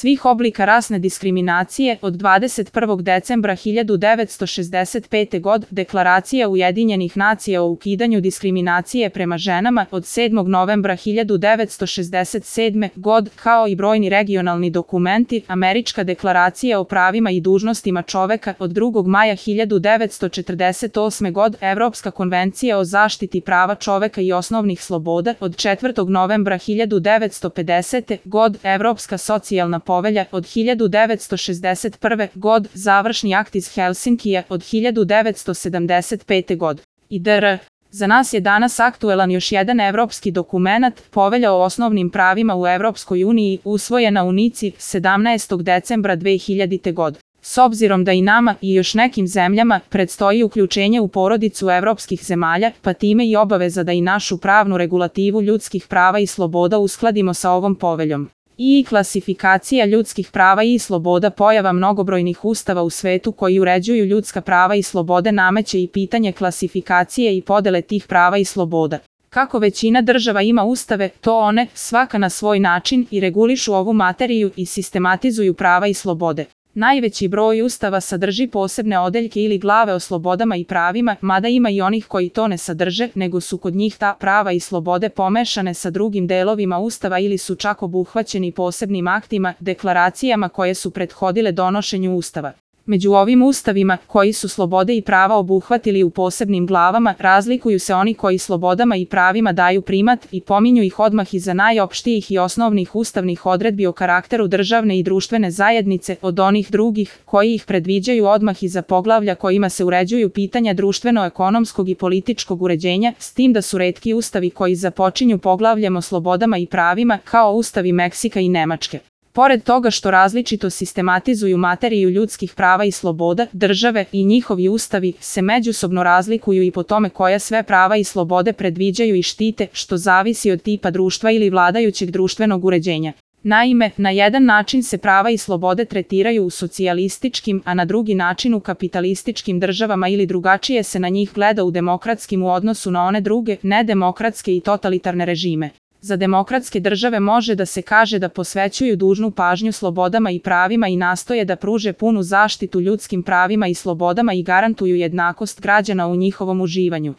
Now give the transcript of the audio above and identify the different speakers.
Speaker 1: svih oblika rasne diskriminacije od 21. decembra 1965. godine, Deklaracija Ujedinjenih nacija o ukidanju diskriminacije prema ženama od 7. novembra 1967. godine, kao i brojni regionalni dokumenti, Američka deklaracija o pravima i dužnostima čoveka od 2. maja 1948. godine, Evropska konvencija o zaštiti prava čoveka i osnovnih sloboda od 4. novembra 1950. godine, Evropska socijalna povelja od 1961. godine, završni akt iz Helsinkija od 1975. godine. dr. Za nas je danas aktuelan još jedan evropski dokumenat, Povelja o osnovnim pravima u Evropskoj uniji, usvojena u Nici 17. decembra 2000. godine. S obzirom da i nama i još nekim zemljama predstoji uključenje u porodicu evropskih zemalja, pa time i obaveza da i našu pravnu regulativu ljudskih prava i sloboda uskladimo sa ovom poveljom. I klasifikacija ljudskih prava i sloboda, pojava mnogobrojnih ustava u svetu koji uređuju ljudska prava i slobode, nameće i pitanje klasifikacije i podele tih prava i sloboda. Kako većina država ima ustave, to one, svaka na svoj način, i regulišu ovu materiju i sistematizuju prava i slobode. Najveći broj ustava sadrži posebne odeljke ili glave o slobodama i pravima, mada ima i onih koji to ne sadrže, nego su kod njih ta prava i slobode pomešane sa drugim delovima ustava ili su čak obuhvaćeni posebnim aktima, deklaracijama koje su prethodile donošenju ustava. Među ovim ustavima, koji su slobode i prava obuhvatili u posebnim glavama, razlikuju se oni koji slobodama i pravima daju primat i pominju ih odmah iza najopštijih i osnovnih ustavnih odredbi o karakteru državne i društvene zajednice od onih drugih, koji ih predviđaju odmah iza poglavlja kojima se uređuju pitanja društveno-ekonomskog i političkog uređenja, s tim da su retki ustavi koji započinju poglavljem o slobodama i pravima, kao ustavi Meksika i Nemačke. Pored toga što različito sistematizuju materiju ljudskih prava i sloboda, države i njihovi ustavi se međusobno razlikuju i po tome koja sve prava i slobode predviđaju i štite, što zavisi od tipa društva ili vladajućeg društvenog uređenja. Naime, na jedan način se prava i slobode tretiraju u socijalističkim, a na drugi način u kapitalističkim državama ili drugačije se na njih gleda u demokratskim u odnosu na one druge, nedemokratske i totalitarne režime. Za demokratske države može da se kaže da posvećuju dužnu pažnju slobodama i pravima i nastoje da pruže punu zaštitu ljudskim pravima i slobodama i garantuju jednakost građana u njihovom uživanju.